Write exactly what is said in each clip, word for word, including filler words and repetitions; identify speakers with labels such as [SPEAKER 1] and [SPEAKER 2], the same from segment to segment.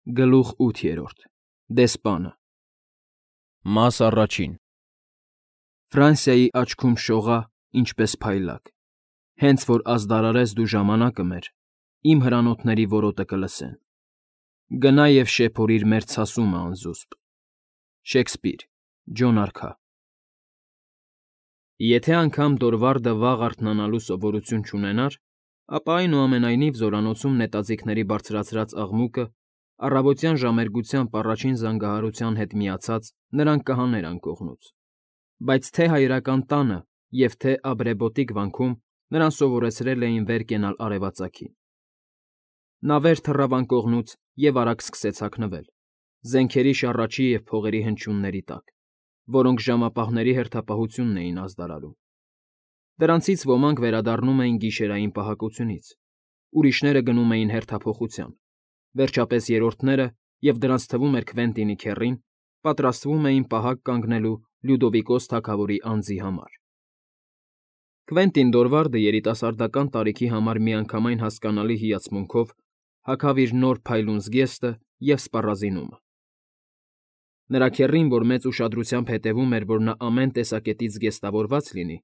[SPEAKER 1] Գլուխ ութ. Դեսպանը Մաս առաջին Ֆրանսիայի աչքում շողա, ինչպես փայլակ, հենց որ ազդարարես դու ժամանակը մեր, իմ հրանոթների որոտը կլսեն, գնա և շեփորիր մեր ցասումը անզուսպ։ Շեքսպիր, Ջոն Արքա Եթե անգամ Դորվարդը վաղ արթնանալու սովորություն չունենար, ապա այնուամենայնիվ զորանոցում նետաձիգների բարձրացրած աղմուկը առավոտյան ժամերգությամբ առաջին զանգահարության հետ միացած նրան կհաներ անկողնուց, բայց թե հայրական տանը և թե Աբրեպոտիկ վանքում նրան սովորեցրել էին վեր կենալ արևածագին։ Նա վեր թռավ անկողնուց և արագ սկսեց հագնվել, զենքերի շառաչի և փողերի հնչյունների տակ, որոնք ժամապահների հերթապահությունն էին ազդարարում։ Դրանցից ոմանք վերադառնում էին գիշերային պահակությունից, ուրիշները գնում էին հերթափոխության, վերջապես երրորդները, և դրանց թվում էր Քվենտինի քեռին, պատրաստվում էին պահակ կանգնելու Լյուդովիկոս թագավորի անձի համար։ Քվենտին Դորվարդը երիտասարդական տարիքի համար միանգամայն հասկանալի հիացմունքով հագավ իր նոր փայլուն զգեստը և սպառազինումը։ Նրա քեռին, որ մեծ ուշադրությամբ հետևում էր, որ նա ամեն տեսակետից զգեստավորված լինի,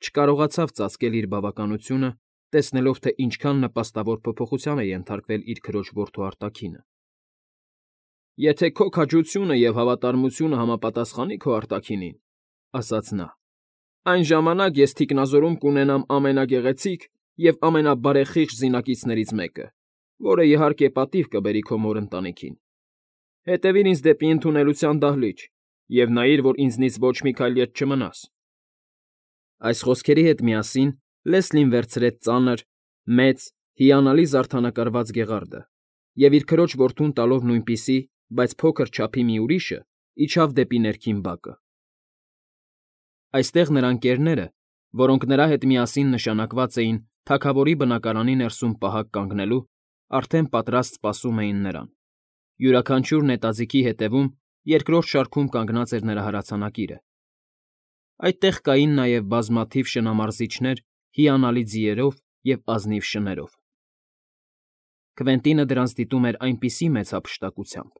[SPEAKER 1] չկարողացավ ծածկել իր բավականությունը, տեսնելով, թե ինչքան նպաստավոր փոփոխության է ենթարկվել իր քրոջ որդու արտաքինը։ «Եթե քո քաջությունը և հավատարմությունը համապատասխանի քո արտաքինին,֊ ասաց նա,֊ այն ժամանակ ես թիկնազորում կունենամ ամենագեղեցիկ և ամենաբարեխիղճ զինակիցներից մեկը, որը, իհարկե, պատիվ կբերի քո մոր ընտանիքին։ Հետևիր ինձ դեպի ընդունելության դահլիճ և նայիր, որ ինձնից ոչ մի քայլ ետ չմնաս»։ Այս խոսքերի հետ միասին Լեսլին վերցրեց ծանր, մեծ, հիանալի զարդանկարված գեղարդը և, իր քրոջ որդուն տալով նույնպիսի, բայց փոքր չափի մի ուրիշը, իջավ դեպի ներքին բակը։ Այստեղ նրա ընկերները, որոնք նրա հետ միասին նշանակված էին թագավորի բնակարանի ներսում պահակ կանգնելու, արդեն պատրաստ սպասում էին նրան։ Յուրաքանչյուր նետաձիգի հետևում երկրորդ շարքում կանգնած էր նրա հրացանակիրը։ Այդտեղ կային նաև բազմաթիվ շնամարզիչներ հիանալի ձիերով և ազնիվ շներով։ Քվենտինը դրանց դիտում էր այնպիսի մեծ հափշտակությամբ,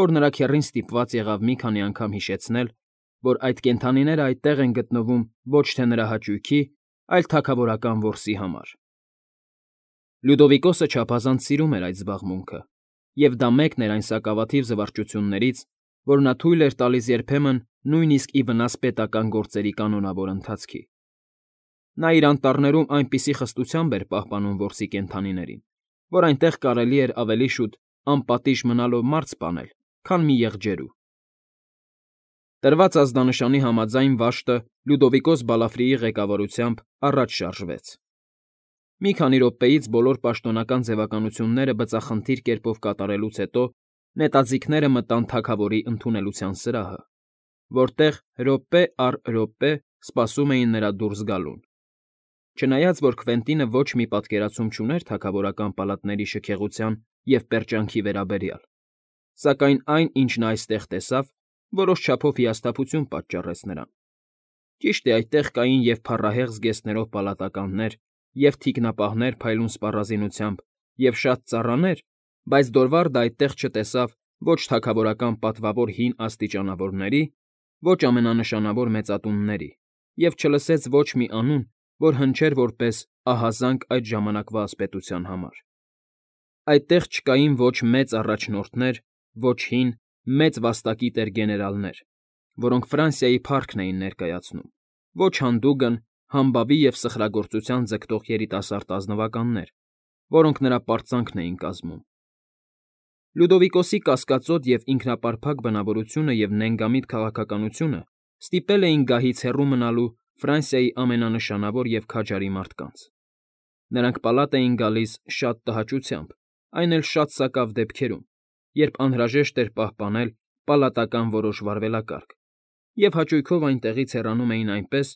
[SPEAKER 1] որ նրա քեռին ստիպված եղավ մի քանի անգամ հիշեցնել, որ այդ կենդանիները այդտեղ են գտնվում ոչ թե նրա հաճույքի, այլ թագավորական որսի համար։ Լյուդովիկոսը չափազանց սիրում էր այդ զբաղմունքը, և դա մեկն էր այն սակավաթիվ զվարճություններից, որ նա թույլ էր տալիս երբեմն նույնիսկ ի վնաս պետական գործերի կանոնավոր ընթացքի։ Նա իր անտառներում այնպիսի խստությամբ էր պահպանում որսի կենդանիներին, որ այնտեղ կարելի էր ավելի շուտ անպատիժ մնալով մարդ սպանել, քան մի եղջերու։ Տրված ազդանշանի համաձայն վաշտը Լյուդովիկոս Բալաֆրիի ղեկավարությամբ առաջ շարժվեց։ Մի քանի րոպեից բոլոր պաշտոնական ձևականությունները բծախնդիր կերպով կատարելուց հետո նետաձիգները մտան թագավորի ընդունելության սրահը, որտեղ րոպե առ րոպե սպասում էին նրա դուրս գալուն։ Չնայած որ Քվենտինը ոչ մի պատկերացում չուներ թագավորական պալատների շքեղության և պերճանքի վերաբերյալ, սակայն այն, ինչ նա այստեղ տեսավ, որոշ չափով հիասթափություն պատճառեց նրան։ Ճիշտ է, այդտեղ կային և փառահեղ զգեստներով պալատականներ, և թիկնապահներ փայլուն սպառազինությամբ, և շատ ծառաներ, բայց Դորվարդը այդտեղ չտեսավ ոչ թագավորական պատվավոր հին աստիճանավորների, ոչ ամենանշանավոր մեծատունների և չլսեց ոչ մի անուն, որ հնչեր որպես ահազանգ այդ ժամանակվա ասպետության համար։ Այդտեղ չկային ոչ մեծ առաջնորդներ, ոչ հին, մեծ վաստակի տեր֊գեներալներ, որոնք Ֆրանսիայի փառքն էին ներկայացնում, ոչ հանդուգն, համբավի և սխրագործության ձգտող երիտասարդ ազնվականներ, որոնք նրա պարծանքն էին կազմում։ Լյուդովիկոսի կասկածոտ և ինքնապարփակ բնավորությունը և նենգամիտ քաղաքականությունը ստիպել էին գահից հեռու մնալու Ֆրանսիայի ամենանշանավոր և քաջարի մարդկանց։ Նրանք պալատ էին գալիս շատ տհաճությամբ, այն էլ շատ սակավ դեպքերում, երբ անհրաժեշտ էր պահպանել պալատական որոշ վարվելակարգ, և հաճույքով այնտեղից հեռանում էին այնպես,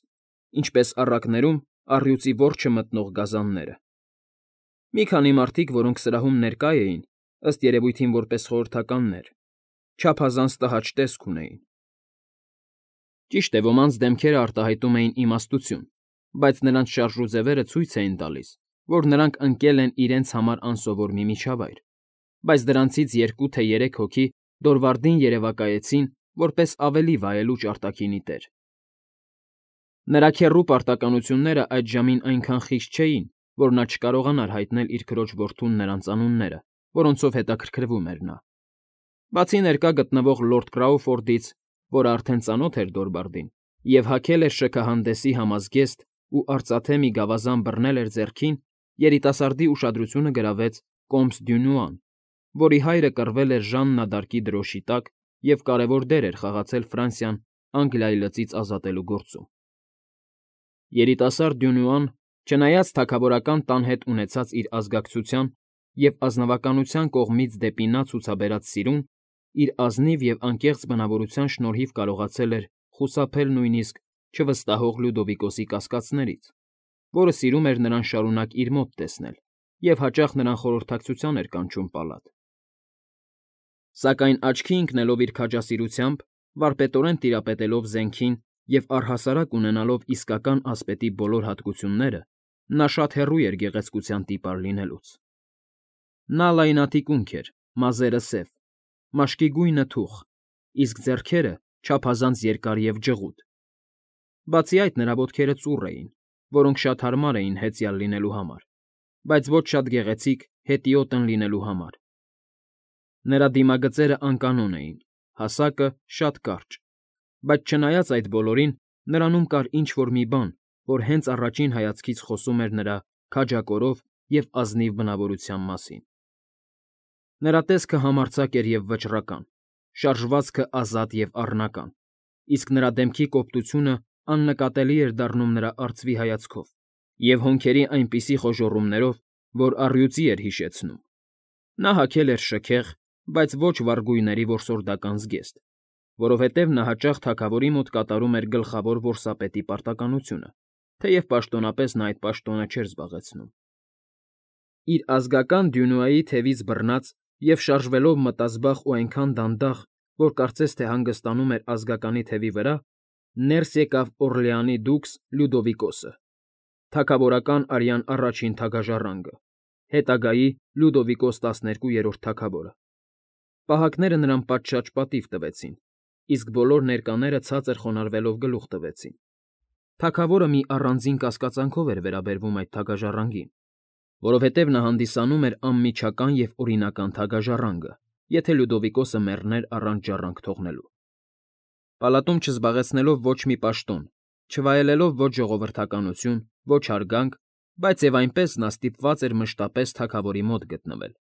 [SPEAKER 1] ինչպես առակներում առյուծի որջը մտնող գազանները։ Մի քանի մարդիկ, որոնք սրահում ներկա էին, ըստ երևույթին որպես խորհրդականներ, չափազանց տհաճ տեսք ունեին։ Ճիշտ է, ոմանց դեմքերը արտահայտում էին իմաստություն, բայց նրանց շարժուձևերը ցույց էին տալիս, որ նրանք ընկել են իրենց համար անսովոր մի միջավայր, բայց դրանցից երկու թե երեք հոգի Դորվարդին երևակայեցին որպես ավելի վայելուչ արտաքինի տեր։ Նրա քեռու պարտականությունները այդ ժամին այնքան խիստ չէին, որ նա չկարողանար հայտնել իր քրոջ որդուն նրանց անունները, որոնցով հետաքրքրվում էր նա։ Բացի ներկա գտնվող լորդ Կրաուֆորդից, որը արդեն ծանոթ էր Դորվարդին, և հագել էր շքահանդեսի համազգեստ ու արծաթե մի գավազան բռնել էր ձեռքին, երիտասարդի ուշադրությունը գրավեց կոմս Դյունուան, որի հայրը կռվել էր Ժաննա d'Արկի դրոշի տակ և կարևոր դեր էր խաղացել Ֆրանսիան Անգլիայի լծից ազատելու գործում։ Երիտասարդ Դյունուան, չնայած թագավորական տան հետ ունեցած իր ազգակցության և ազնվականության կողմից դեպի նա ցուցաբերած սիրուն, իր ազնիվ և անկեղծ բնավորության շնորհիվ կարողացել էր խուսափել նույնիսկ չվստահող Լյուդովիկոսի կասկածներից, որը սիրում էր նրան շարունակ իր մոտ տեսնել և հաճախ նրան խորհրդակցության էր կանչում պալատ։ Սակայն աչքի ընկնելով իր քաջասիրությամբ, վարպետորեն տիրապետելով զենքին և առհասարակ ունենալով իսկական ասպետի բոլոր հատկությունները, նա շատ հեռու էր գեղեցկության տիպար լինելուց։ Նա լայնաթիկունք էր, մազերը սև, մաշկի գույնը թուխ, իսկ ձեռքերը չափազանց երկար և ջղուտ։ Բացի այդ, նրա ոտքերը ծուռ էին, որոնք շատ հարմար էին հեծյալ լինելու համար, բայց ոչ շատ գեղեցիկ հետիոտն լինելու համար։ Նրա դիմագծերը անկանոն էին, հասակը՝ շատ կարճ, բայց չնայած այդ բոլորին, նրանում կար ինչ֊որ մի բան, որ հենց առաջին հայացքից խոսում էր նրա քաջակորով և ազնիվ բնավորության մասին։ Նրա տեսքը համարձակ էր և վճռական, շարժվածքը ազատ և առնական, իսկ նրա դեմքի կոպտությունը աննկատելի էր դառնում նրա արծվի հայացքով և հոնքերի այնպիսի խոժոռումներով, որ առյուծի էր հիշեցնում։ Նա հագել էր շքեղ, բայց ոչ վառ գույների որսորդական զգեստ, որովհետև նա հաճախ թագավորի մոտ կատարում էր գլխավոր որսապետի պարտականությունը, թեև պաշտոնապես նա այդ պաշտոնը չէր զբաղեցնում։ Իր ազգական Դյունուայի թևից բռնած և շարժվելով մտազբաղ ու այնքան դանդաղ, որ կարծես թե հանգստանում էր ազգականի թևի վրա, ներս եկավ Օռլեանի դուքս Լյուդովիկոսը, թագավորական արյան առաջին թագաժառանգը, հետագայի Լյուդովիկոս տասներկուերորդ թագավորը։ Պահակները նրան պատշաճ պատիվ տվեցին, իսկ բոլոր ներկաները ցածր խոնարհվելով գլուխ տվեցին։ Թագավորը մի առանձին կասկածանքով էր վերաբերվում այդ թագաժառանգին, որովհետև նա հանդիսանում էր անմիջական և օրինական թագաժառանգը, եթե Լյուդովիկոսը մեռներ առանց ժառանգ թողնելու։ Պալատում չզբաղեցնելով ոչ մի պաշտոն, չվայելելով ոչ ժողովրդականություն, ոչ հարգանք, բայց և այնպես նա ստիպված էր մշտապես թագավորի մոտ գտնվել։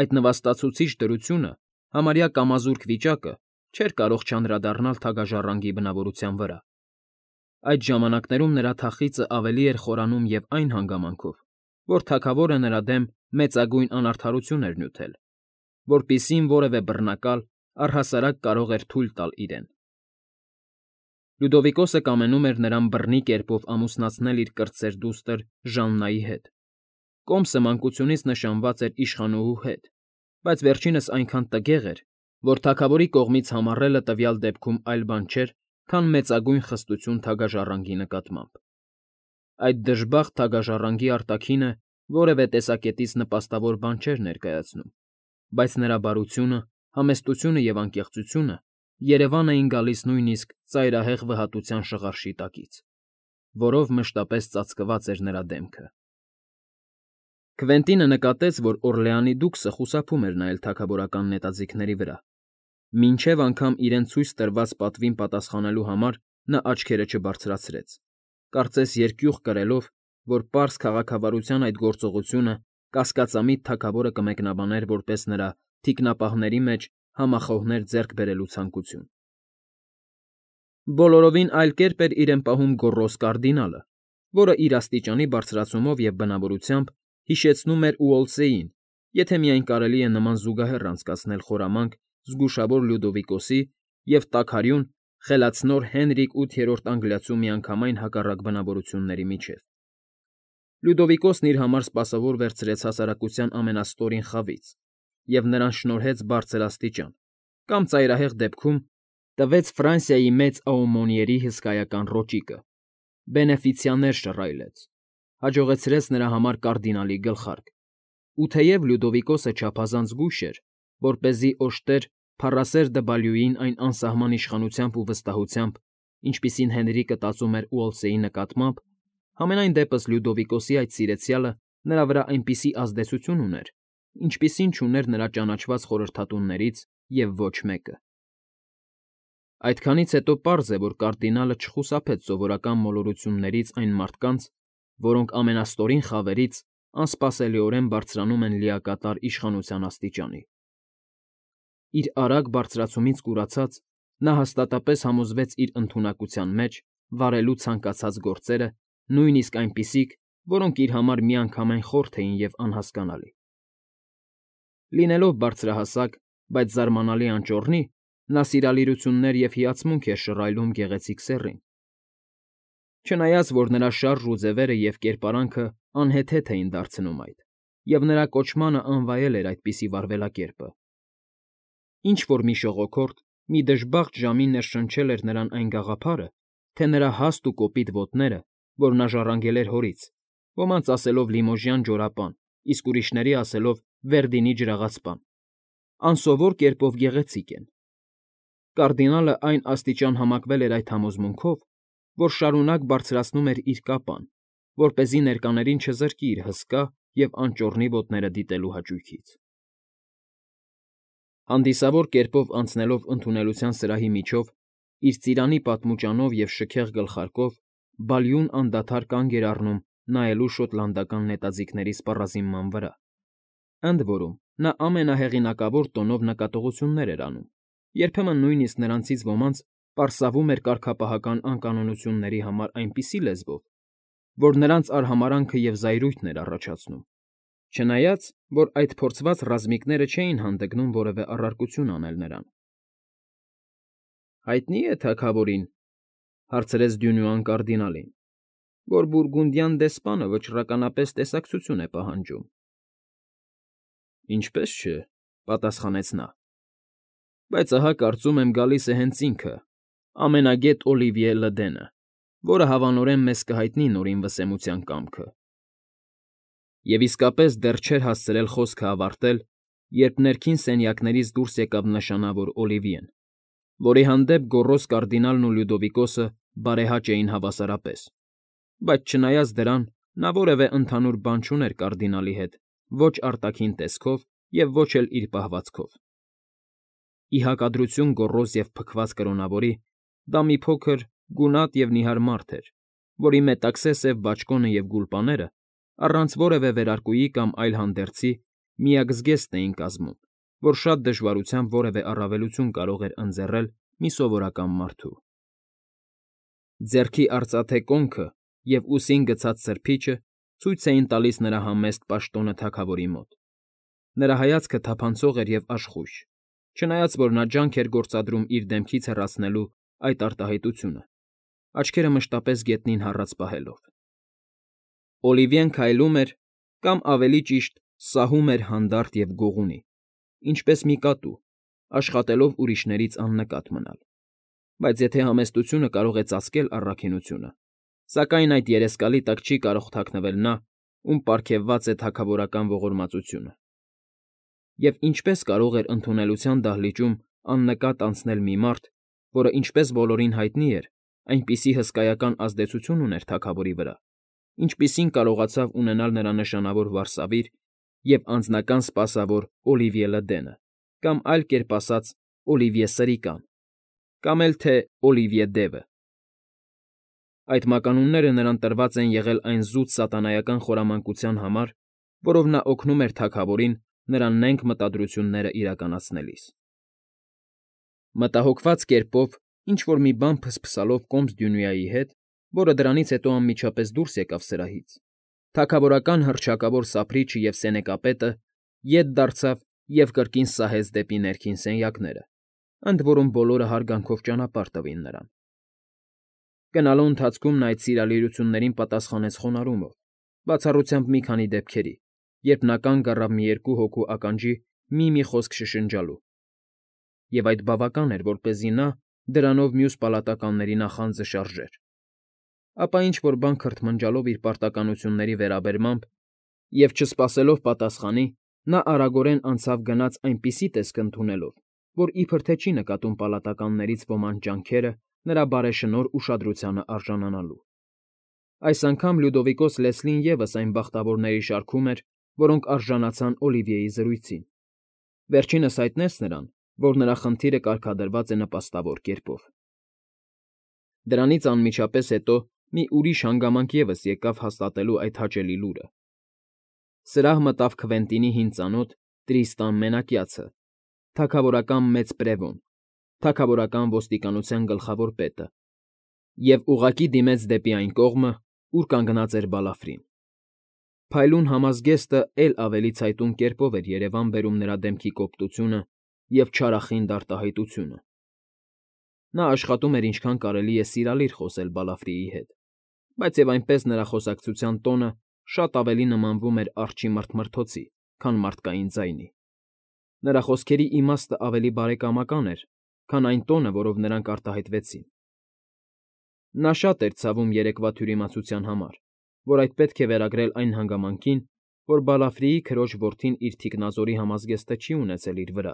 [SPEAKER 1] Այդ նվաստացուցիչ դրությունը, համարյա կամազուրկ վիճակը չէր կարող չանդրադառնալ թագաժառանգի բնավորության վրա։ Այդ ժամանակներում նրա թախիծը ավելի էր խորանում և այն հանգամանքով, որ թագավորը նրա դեմ մեծագույն անարդարություն էր նյութել, որպիսին որևէ բռնակալ առհասարակ կարող էր թույլ տալ իրեն։ Լյուդովիկոսը կամենում էր նրան բռնի կերպով ամուսնացնել իր կրտսեր դուստր Ժաննայի հետ։ Կոմսը մանկությունից նշանված էր իշխանուհու հետ, բայց վերջինս այնքան տգեղ էր, որ թագավորի կողմից համառելը տվյալ դեպքում այլ բան չէր, քան մեծագույն խստություն թագաժառանգի նկատմամբ։ Այդ դժբախտ թագաժառանգի արտաքինը որևէ տեսակետից նպաստավոր բան չէր ներկայացնում, բայց նրա բարությունը, համեստությունը և անկեղծությունը երևան էին գալիս նույնիսկ ծայրահեղ վհատության շղարշի տակից, որով մշտապես ծածկված էր նրա դեմքը։ Քվենտինը նկատեց, որ Օռլեանի դուքսը խուսափում էր նայել թագավորական նետաձիգների վրա։ Մինչև անգամ իրեն ցույց տրված պատվին պատասխանելու համար նա աչքերը չբարձրացրեց, կարծես երկյուղ կրելով, որ պարզ քաղաքավարության այդ գործողությունը կասկածամիտ թագավորը կմեկնաբաներ որպես նրա թիկնապահների մեջ համախոհներ ձեռք բերելու ցանկություն։ Բոլորովին այլ կերպ էր իրեն պահում գոռոզ կարդինալը, որը իր աստիճանի բարձրացումով և բնավորությամբ հիշեցնում էր Ուոլսեյին, եթե միայն կարելի է նման զուգահեռ անցկացնել խորամանկ զգուշավոր Լյուդովիկոսի և տաքարյուն, խելացնոր Հենրիկ ութերորդ Անգլիացու միանգամայն հակառակ բնավորությունների միջև։ Լյուդովիկոսն իր համար սպասավոր վերցրեց հասարակության ամենաստորին խավից և նրան շնորհեց բարձր աստիճան, կամ ծայրահեղ դեպքում տվեց Ֆրանսիայի մեծ աումոնիերի հսկայական ռոճիկը, բենեֆիցիաներ շռայլեց, հաջողեցրեց նրա համար կարդինալի գլխարկ, Ու թեև Լյուդովիկոսը չափազանց զգույշ էր, որպեսզի օժտեր փառասեր Դվալյուին այն անսահման իշխանությամբ ու վստահությամբ, ինչպիսին Հենրիկը տածում էր Ուոլսեի նկատմամբ, համենայն դեպս Լյուդովիկոսի այդ սիրեցյալը նրա վրա այնպիսի ազդեցություն ուներ, ինչպիսին չուներ նրա ճանաչված խորհրդատուններից և ոչ մեկը։ Այդքանից հետո պարզ է, որ կարդինալը չխուսափեց սովորական մոլորություններից այն մարդկանց, որոնք ամենաստորին խավերից անսպասելիորեն բարձրանում են լիակատար իշխանության աստիճանի։ Իր արագ բարձրացումից կուրացած՝ նա հաստատապես համոզվեց իր ընդունակության մեջ վարելու ցանկացած գործերը, նույնիսկ այնպիսիք, որոնք իր համար միանգամայն խորթ էին և անհասկանալի։ Լինելով բարձրահասակ, բայց զարմանալի անճոռնի, նա սիրալիրություններ և հիացմունք էր շռայլում գեղեցիկ սեռին, չնայած որ նրա շարժ ու ձևերը և կերպարանքը անհեթեթ էին դարձնում այդ, և նրա կոչմանը անվայել էր այդպիսի վարվելակերպը։ Ինչ֊որ մի շողոքորդ, մի դժբախտ ժամի ներշնչել էր նրան այն գաղափարը, թե նրա հաստ ու կոպիտ ոտները, որ նա ժառանգել էր հորից, ոմանց ասելով Լիմոժյան ջորապան, իսկ ուրիշների ասելով Վերդինի ջրաղացպան, անսովոր կերպով գեղեցիկ են։ Կարդինալը այն աստիճան համակվել էր այդ համոզմունքով, որ շարունակ բարձրացնում էր իր կապան, որպեսզի ներկաներին չզրկի իր հսկա և անճոռնի ոտները դիտելու հաճույքից։ Հանդիսավոր կերպով անցնելով ընդունելության սրահի միջով, իր ծիրանի պատմուճանով և շքեղ գլխարկով, Բալյուն անդադար կանգ էր առնում նայելու շոտլանդական նետաձիգների սպառազինման վրա, ընդ որում նա ամենահեղինակավոր տոնով նկատողություններ էր անում, երբեմն նույնիսկ նրանցից ոմանց պարսավում էր կարգապահական անկանոնությունների համար այնպիսի լեզվով, որ նրանց արհամարհանքը և զայրույթն էր առաջացնում, չնայած, որ այդ փորձված ռազմիկները չէին հանդգնում որևէ առարկություն անել նրան։ ֊ Հայտնի՞ է թագավորին, ֊ հարցրեց Դյունուան կարդինալին, ֊ որ բուրգունդյան դեսպանը վճռականապես տեսակցություն է պահանջում։ ֊ Ինչպես չէ, ֊ պատասխանեց նա, ֊ բայց ահա կարծում եմ գալիս է հենց ինքը, ամենագետ Օլիվիե Լդենը, որը հավանորեն մեզ կհայտնի Նորին Վսեմության կամքը։ Եվ իսկապես դեռ չէր հասցրել խոսքը ավարտել, երբ ներքին սենյակներից դուրս եկավ նշանավոր Օլիվիեն, որի հանդեպ գոռոզ կարդինալն ու Լյուդովիկոսը բարեհաճ էին հավասարապես, բայց չնայած դրան նա որևէ ընդհանուր բան չուներ կարդինալի հետ ոչ արտաքին տեսքով և ոչ էլ իր պահվածքով։ Ի հակադրություն գոռոզ և փքված կրոնավորի, դա մի փոքր, գունատ և նիհար մարդ էր, որի մետաքսե սև բաճկոնը և գուլպաները առանց որևէ վերարկուի կամ այլ հանդերձի միակ զգեստն էին կազմում, որ շատ դժվարությամբ որևէ առավելություն կարող էր ընձեռել մի սովորական մարդու։ Ձեռքի արծաթե կոնքը և ուսին գցած սրբիչը ցույց էին տալիս նրա համեստ պաշտոնը թագավորի մոտ։ Նրա հայացքը թափանցող էր և աշխույժ, չնայած որ նա ջանք էր գործադրում իր դեմքից հեռացնելու այդ արտահայտությունը, աչքերը մշտապես գետնին հառած պահելով։ Օլիվիեն քայլում էր, կամ ավելի ճիշտ սահում էր հանդարտ և գողունի, ինչպես մի կատու, աշխատելով ուրիշներից աննկատ մնալ, բայց եթե համեստությունը կարող է ծածկել առաքինությունը, սակայն այդ երեսկալի տակ չի կարող թաքնվել նա, ում պարգևված է թագավորական ողորմածությունը։ Եվ ինչպե՞ս կարող էր ընդունելության դահլիճում աննկատ անցնել մի մարդ, որը, ինչպես բոլորին հայտնի էր, այնպիսի հսկայական ազդեցություն ուներ թագավորի վրա, ինչպիսին կարողացավ ունենալ նրա նշանավոր վարսավիր և անձնական սպասավոր Օլիվիե Լդենը, կամ այլ կերպ ասած Օլիվիե Սրիկան, կամ էլ թե Օլիվիե Դևը։ Այդ մականունները նրան տրված են եղել այն զուտ սատանայական խորամանկության համար, որով նա օգնում էր թագավորին նրա նենգ մտադրությունները իրականացնելիս։ Մտահոգված կերպով, ինչ֊որ մի բան փսփսալով կոմս Դյունուայի հետ, որը դրանից հետո անմիջապես դուրս եկավ սրահից, թագավորական հռչակավոր սափրիչը և սենեկապետը ետ դարձավ և կրկին սահեց դեպի ներքին սենյակները, ընդ որում բոլորը հարգանքով ճանապարհ տվին նրան։ Գնալու ընթացքում նա այդ սիրալիրություններին պատասխանեց խոնարհումով, բացառությամբ մի քանի դեպքերի, երբ նա կանգ առավ մի երկու հոգու ականջի մի֊մի խոսք շշնջալու, և այդ բավական էր, որպեսզի նա դրանով մյուս պալատականների նախանձը շարժեր, ապա ինչ֊որ բան քրթմնջալով իր պարտականությունների վերաբերմամբ Եվ չսպասելով պատասխանի, նա արագորեն անցավ գնաց այնպիսի տեսք ընդունելով, որ իբր թե չի նկատում պալատականներից ոմանց ջանքերը նրա բարեշնորհ ուշադրությանը արժանանալու։ Այս անգամ Լյուդովիկոս Լեսլին ևս այն բախտավորների շարքում էր, որոնք արժանացան Օլիվիեի զրույցին։ Վերջինս հայտնեց նրան, որ նրա խնդիրը կարգադրված է նպաստավոր կերպով։ Դրանից անմիջապես հետո մի ուրիշ հանգամանք ևս եկավ հաստատելու այդ հաճելի լուրը։ Սրահ մտավ Քվենտինի հին ծանոթ Տրիստան Մենակյացը, թագավորական մեծ պրևոն, թագավորական ոստիկանության գլխավոր պետը, և ուղղակի դիմեց դեպի այն կողմը, ուր կանգնած էր Բալաֆրին։ Փայլուն համազգեստը էլ ավելի ցայտուն կերպով էր երևան բերում նրա դեմքի կոպտությունը և չարախինդ արտահայտությունը։ Նա աշխատում էր ինչքան կարելի է սիրալիր խոսել Բալաֆրիի հետ, բայց և այնպես նրա խոսակցության տոնը շատ ավելի նմանվում էր արջի մռթմռթոցի, քան մարդկային ձայնի։ Նրա խոսքերի իմաստը ավելի բարեկամական էր, քան այն տոնը, որով նրանք արտահայտվեցին։ Նա շատ էր ցավում երեկվա թյուրիմացության համար, որ այդ պետք է վերագրել այն հանգամանքին, որ Բալաֆրիի քրոջ որդին իր թիկնազորի համազգեստը չի ունեցել իր վրա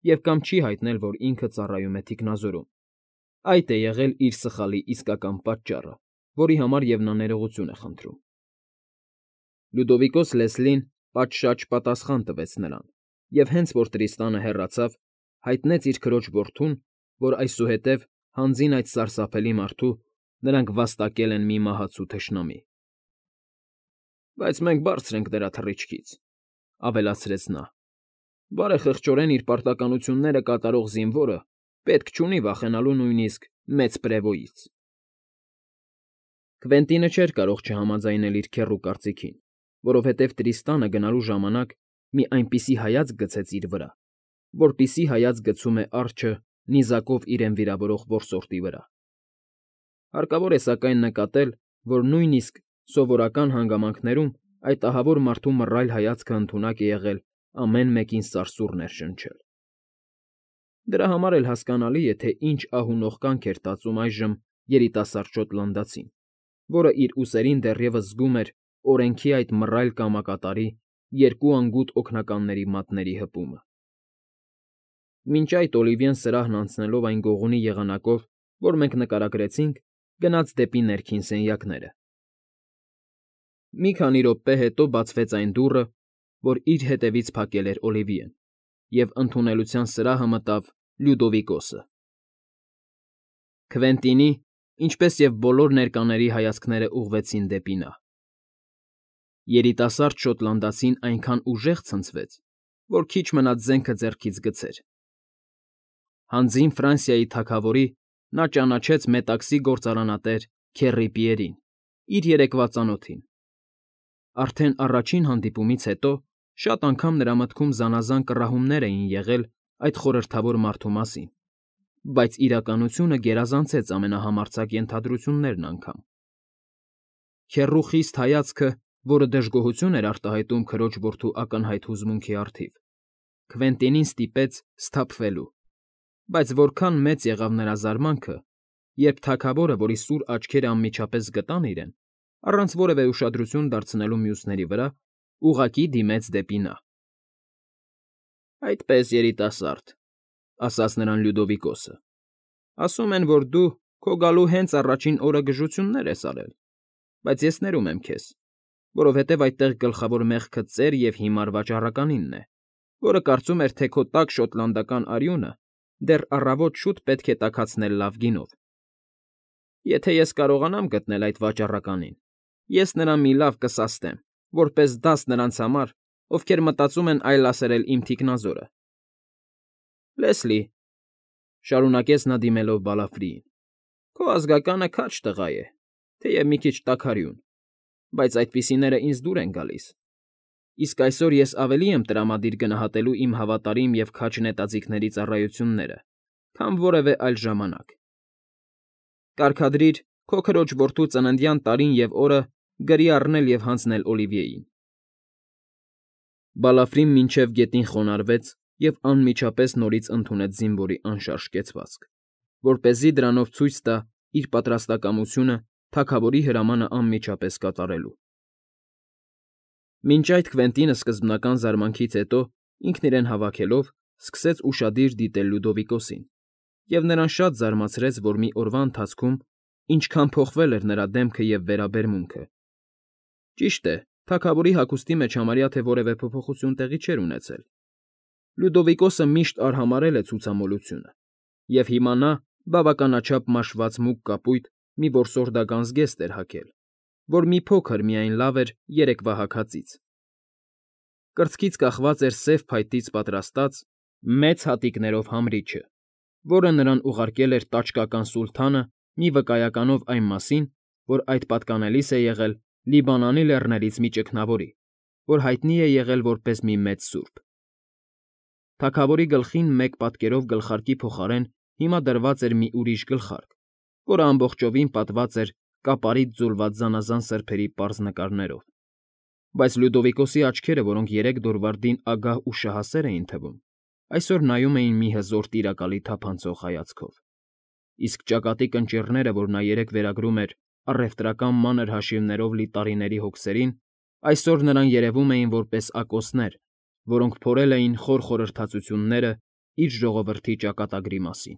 [SPEAKER 1] և կամ չի հայտնել, որ ինքը ծառայում է թիկնազորում։ Այդ է եղել իր սխալի իսկական պատճառը, որի համար և նա ներողություն է խնդրում։ Լյուդովիկոս Լեսլին պատշաճ պատասխան տվեց նրան և հենց որ Տրիստանը հեռացավ, հայտնեց իր քրոջ որդուն, որ այսուհետև, հանձին այդ սարսափելի մարդու, նրանք վաստակել են մի մահացու թշնամի։ «Բայց մենք բարձր ենք դրա թռիչքից,֊ ավելացրեց նա։֊ Բարեխղճորեն իր պարտականությունները կատարող զինվորը պետք չունի վախենալու նույնիսկ մեծ պրևոյից»։ Քվենտինը չէր կարող չհամաձայնել իր քեռու կարծիքին, որովհետև Տրիստանը գնալու ժամանակ մի այնպիսի հայացք գցեց իր վրա, որպիսի հայացք գցում է արջը նիզակով իրեն վիրավորող որսորդի վրա։ Հարկավոր է սակայն նկատել, որ նույնիսկ սովորական հանգամանքներում այդ ահավոր մարդու մռայլ հայացքը ընդունակ է եղել ամեն մեկին սարսուռ ներշնչել։ Դրա համար էլ հասկանալի է, թե ինչ ահունող կյանք էր տածում այժմ երիտասարդ շոտլանդացին, որը իր ուսերին դեռևս զգում էր օրենքի այդ մռայլ կամակատարի երկու անգութ օգնականների մատների հպումը։ Մինչ այդ Օլիվիեն սրահն անցնելով այն գողունի եղանակով, որ մենք նկարագրեցինք, գնաց դեպի ներքին սենյակները։ Մի քանի րոպե հետո բացվեց այն դուռը, որ իր հետևից փակել էր Օլիվիեն, և ընդունելության սրահը մտավ Լյուդովիկոսը։ Քվենտինի, ինչպես և բոլոր ներկաների հայացքները ուղղվեցին դեպի նա։ Երիտասարդ շոտլանդացին այնքան ուժեղ ցնցվեց, որ քիչ մնաց զենքը ձեռքից գցեր։ Հանձին Ֆրանսիայի թագավորի նա ճանաչեց մետաքսի գործարանատեր Քեռի Պիերին, իր երեկվա ծանոթին։ Արդեն առաջին հանդիպումից հետո շատ անգամ նրա մտքում զանազան կռահումներ էին եղել այդ խորհրդավոր մարդու մասին, բայց իրականությունը գերազանցեց ամենահամարձակ ենթադրություններն անգամ։ Քեռու խիստ հայացքը, որը դժգոհություն էր արտահայտում քրոջ որդու ակնհայտ հուզմունքի առթիվ, Քվենտինին ստիպեց սթափվելու, բայց որքան մեծ եղավ նրա զարմանքը, երբ թագավորը, որի սուր աչքերը անմիջապես գտան իրեն, առանց որևէ ուշադրություն դարձնելու մյուսների վրա, ուղղակի դիմեց դեպի նա։ ֊ Այդպես, երիտասարդ,֊ ասաց նրան Լյուդովիկոսը,֊ ասում են, որ դու քո գալու հենց առաջին օրը գժություններ ես արել, բայց ես ներում եմ քեզ, որովհետև այդտեղ գլխավոր մեղքը ծեր և հիմար վաճառականինն է, որը կարծում էր, թե քո տաք շոտլանդական արյունը դեռ առավոտ շուտ պետք է տաքացնել լավ գինով։ Եթե ես կարողանամ գտնել այդ վաճառականին, ես նրան մի լավ կսաստեմ, որպես դաս նրանց համար, ովքեր մտածում են այլասերել իմ թիկնազորը։ Լեսլի,֊ շարունակեց նա դիմելով Բալաֆրիին,֊ քո ազգականը քաջ տղա է, թեև մի քիչ տաքարյուն, բայց այդպիսիները ինձ դուր են գալիս, իսկ այսօր ես ավելի եմ տրամադիր գնահատելու իմ հավատարիմ և քաջ նետաձիգների ծառայությունները, քան որևէ այլ ժամանակ։ Կարգադրիր քո քրոջ որդու ծննդյան տարին և օրը գրի առնել և հանձնել Օլիվիեին։ Բալաֆրին մինչև գետին խոնարհվեց և անմիջապես նորից ընդունեց զինվորի անշարժ կեցվածք, որպեսզի դրանով ցույց տա իր պատրաստակամությունը թագավորի հրամանը անմիջապես կատարելու։ Մինչ այդ Քվենտինը սկզբնական զարմանքից հետո, ինքն իրեն հավաքելով, սկսեց ուշադիր դիտել Լյուդովիկոսին, և նրան շատ զարմացրեց, որ մի օրվա ընթացքում ինչքան փոխվել էր նրա դեմքը և վերաբերմունքը. ճիշտ է, թագավորի հագուստի մեջ համարյա թե որևէ փոփոխություն տեղի չէր ունեցել. Լյուդովիկոսը միշտ արհամարհել է ցուցամոլությունը, և հիմա նա բավականաչափ մաշված մուգ կապույտ մի որսորդական զգեստ էր հագել, որ մի փոքր միայն լավ էր երեկվա հագածից. կրծքից կախված էր սև փայտից պատրաստած, մեծ հատիկներով համրիչը, որը նրան ուղարկել էր տաճկական սուլթանը մի վկայականով այն մասին, որ այդ պատկանելիս է եղել Լիբանանի լեռներից մի ճգնավորի, որ հայտնի է եղել որպես մի մեծ սուրբ։ Թագավորի գլխին մեկ պատկերով գլխարկի փոխարեն հիմա դրված էր մի ուրիշ գլխարկ, որը ամբողջովին պատված էր կապարից ձուլված զանազան սրբերի պարզ նկարներով, բայց Լյուդովիկոսի աչքերը, որոնք երեկ Դորվարդին ագահ ու շահասեր էին թվում, այսօր նայում էին մի հզոր տիրակալի թափանցող հայացքով, իսկ ճակատի կնճիռները, որ նա երեկ վերագրում էր առևտրական մանր հաշիվներով լի տարիների հոգսերին, այսօր նրան երևում էին որպես ակոսներ, որոնք փորել էին խոր խորհրդածությունները իր ժողովրդի ճակատագրի մասին։